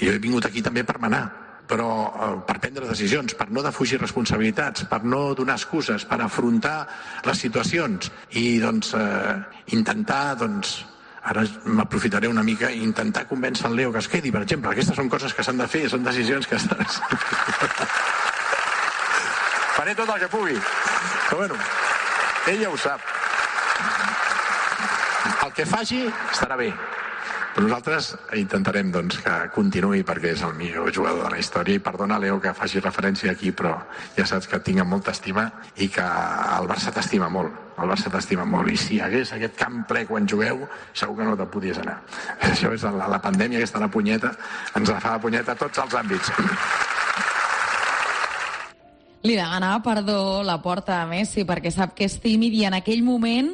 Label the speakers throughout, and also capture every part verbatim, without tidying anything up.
Speaker 1: jo he vingut aquí també per manar, però eh, per prendre decisions, per no defugir responsabilitats, per no donar excuses, per afrontar les situacions i doncs eh, intentar, doncs, ara m'aprofitaré una mica, intentar convèncer el Leo que es quedi, per exemple. Aquestes són coses que s'han de fer, són decisions que estan... Faré tot el que pugui. Però bueno, ell ja ho sap. El que faci estarà bé. Però nosaltres intentarem doncs, que continuï perquè és el millor jugador de la història i perdona, Leo, que faci referència aquí, però ja saps que et tinc amb molta estima i que el Barça t'estima molt. El Barça t'estima molt i si hi hagués aquest camp ple quan jugueu, segur que no te'n podies anar. Això és la, la pandèmia, aquesta la punyeta, ens la fa la punyeta a tots els àmbits.
Speaker 2: Li demanava perdó la porta a Messi perquè sap que és tímid i en aquell moment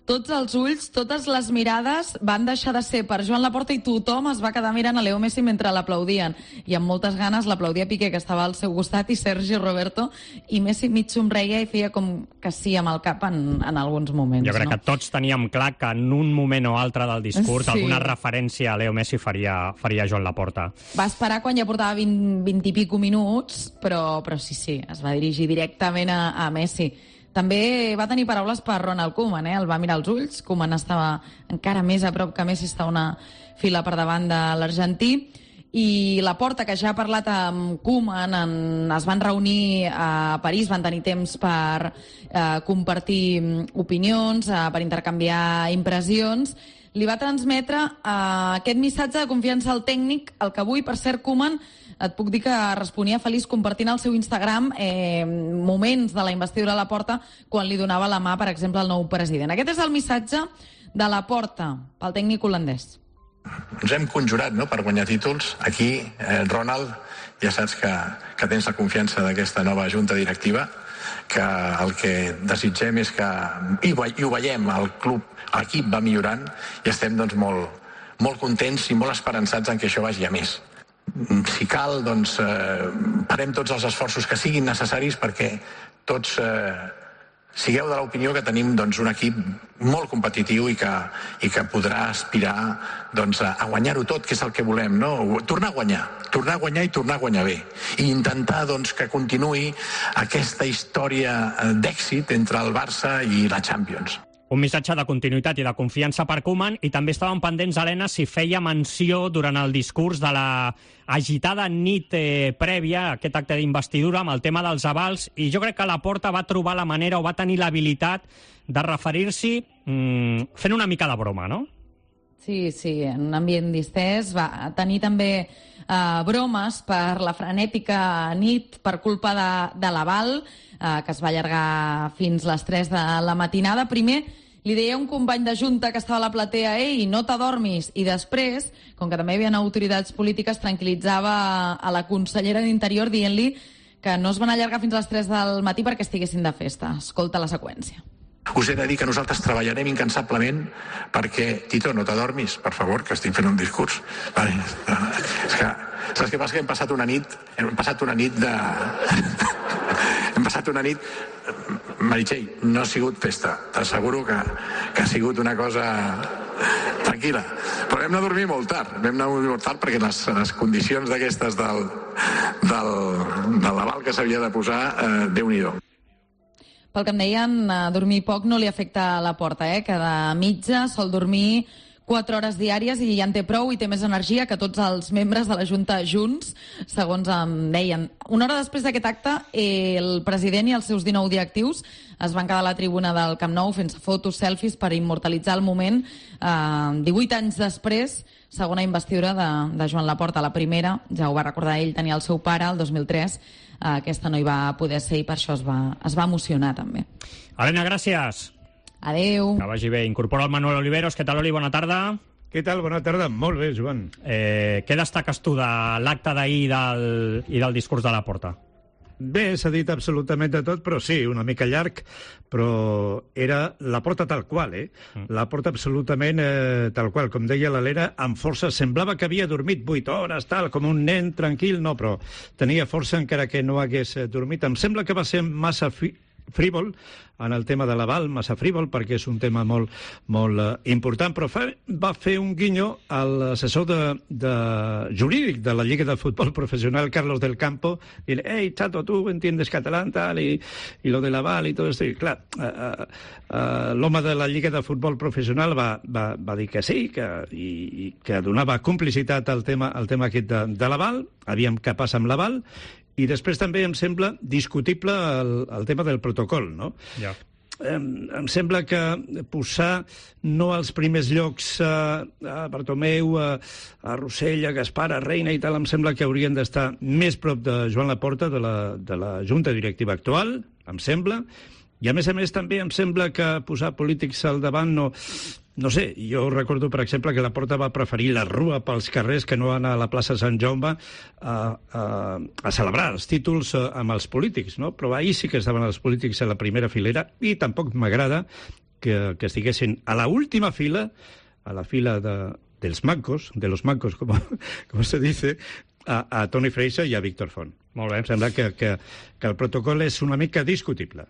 Speaker 2: tots els ulls, totes les mirades van deixar de ser per Joan Laporta i tothom es va quedar mirant a Leo Messi mentre l'aplaudien. I amb moltes ganes l'aplaudia Piqué, que estava al seu costat, i Sergi Roberto, i Messi mig somreia i feia com que sí amb el cap en, en alguns moments.
Speaker 3: Jo crec
Speaker 2: no?
Speaker 3: que tots teníem clar que en un moment o altre del discurs
Speaker 2: sí.
Speaker 3: alguna referència a Leo Messi faria, faria Joan Laporta.
Speaker 2: Va esperar quan ja portava vint, vint i pico minuts, però, però sí, sí, es va dirigir directament a, a Messi. També va tenir paraules per Ronald Koeman, eh? El va mirar als ulls. Koeman estava encara més a prop que Messi, està una fila per davant de l'argentí. I Laporta, que ja ha parlat amb Koeman, en, es van reunir a París, van tenir temps per eh, compartir opinions, eh, per intercanviar impressions, li va transmetre eh, aquest missatge de confiança al tècnic, el que avui, per cert, Koeman, et puc dir que responia feliç compartint al seu Instagram eh, moments de la investidura a Laporta quan li donava la mà, per exemple, al nou president. Aquest és el missatge de Laporta pel tècnic holandès.
Speaker 1: Ens hem conjurat, no?, per guanyar títols. Aquí, eh, Ronald, ja saps que, que tens la confiança d'aquesta nova junta directiva, que el que desitgem és que, i, i ho veiem, el club, l'equip va millorant i estem doncs, molt, molt contents i molt esperançats en que això vagi a més. Si cal, doncs, eh, farem tots els esforços que siguin necessaris perquè tots eh, sigueu de l'opinió que tenim doncs, un equip molt competitiu i que, i que podrà aspirar doncs, a, a guanyar-ho tot, que és el que volem, no? Tornar a guanyar, tornar a guanyar i tornar a guanyar bé. I intentar doncs, que continuï aquesta història d'èxit entre el Barça i la Champions.
Speaker 3: Un missatge de continuïtat i de confiança per Koeman, i també estaven pendents, Helena, si feia menció durant el discurs de la agitada nit eh, prèvia a aquest acte d'investidura amb el tema dels avals, i jo crec que Laporta va trobar la manera o va tenir l'habilitat de referir-s'hi mmm, fent una mica de broma, no?
Speaker 2: Sí, sí, en un ambient distès. Va tenir també eh, bromes per la frenètica nit per culpa de, de l'aval, eh, que es va allargar fins les tres de la matinada. Primer li deia un company de junta que estava a la platea, ei, no t'adormis, i després, com que també hi havia autoritats polítiques, tranquil·litzava a la consellera d'Interior dient-li que no es van allargar fins a les tres del matí perquè estiguessin de festa. Escolta la seqüència.
Speaker 1: Us he de dir que nosaltres treballarem incansablement perquè, Tito, no t'adormis, per favor, que estic fent un discurs. Vale. És que, saps què passa? Que hem passat una nit, hem passat una nit de... hem passat una nit... Meritxell, no ha sigut festa. T'asseguro que, que ha sigut una cosa tranquil·la. Però vam anar a dormir molt tard. Vam anar a dormir molt tard perquè les, les condicions d'aquestes del, del, de l'aval que s'havia de posar, eh, Déu-n'hi-do.
Speaker 2: Pel que em deien, dormir poc no li afecta a Laporta, eh? Cada mitja sol dormir quatre hores diàries i ja en té prou i té més energia que tots els membres de la Junta junts, segons em deien. Una hora després d'aquest acte, el president i els seus dinou directius es van quedar a la tribuna del Camp Nou fent fotos, selfies per immortalitzar el moment. Eh, divuit anys després, segona investidura de, de Joan Laporta. La primera, ja ho va recordar ell, tenia el seu pare, el dos mil tres. Eh, aquesta no hi va poder ser i per això es va, es va emocionar també.
Speaker 3: Helena, gràcies.
Speaker 2: Adéu.
Speaker 3: Que vagi bé. Incorpora el Manuel Oliveros. Què tal, Oli? Bona tarda.
Speaker 4: Què tal? Bona tarda. Molt bé, Joan.
Speaker 3: Eh, què destaques tu de l'acte d'ahir del, i del discurs de Laporta?
Speaker 4: Bé, s'ha dit absolutament de tot, però sí, una mica llarg, però era Laporta tal qual, eh? Mm. Laporta absolutament eh, tal qual. Com deia l'Helena, amb força. Semblava que havia dormit vuit hores, tal, com un nen tranquil, no, però tenia força encara que no hagués dormit. Em sembla que va ser massa fi... frívol en el tema de l'aval, massa frívol, perquè és un tema molt, molt uh, important, però fa, va fer un guinyo a l'assessor de, de jurídic de la Lliga del Futbol Professional, Carlos del Campo, i dir, hey, chato, tu entiendes catalán, tal, i, i lo de l'aval i tot això. I clar, uh, uh, uh, l'home de la Lliga de Futbol Professional va, va, va dir que sí, que, i, i que donava complicitat al tema, al tema aquest de, de l'aval, aviam què passa amb l'aval, i després també em sembla discutible el, el tema del protocol, no?
Speaker 3: Ja.
Speaker 4: Em, em sembla que posar no als primers llocs a, a Bartomeu, a, a Rossell, a Gaspar, a Reina i tal, em sembla que haurien d'estar més prop de Joan Laporta, de la, de la Junta Directiva actual, em sembla, i a més a més també em sembla que posar polítics al davant no... No sé, jo recordo, per exemple, que Laporta va preferir la rua pels carrers que no anar a la plaça Sant Jaume a, a, a celebrar els títols amb els polítics, no? Però ahir sí que estaven els polítics a la primera filera i tampoc m'agrada que, que estiguessin a la última fila, a la fila de, dels mancos, de los mancos, com, com se dice, a, a Toni Freixa i a Víctor Font.
Speaker 3: Molt bé.
Speaker 4: Em sembla que, que, que el protocol és una mica discutible.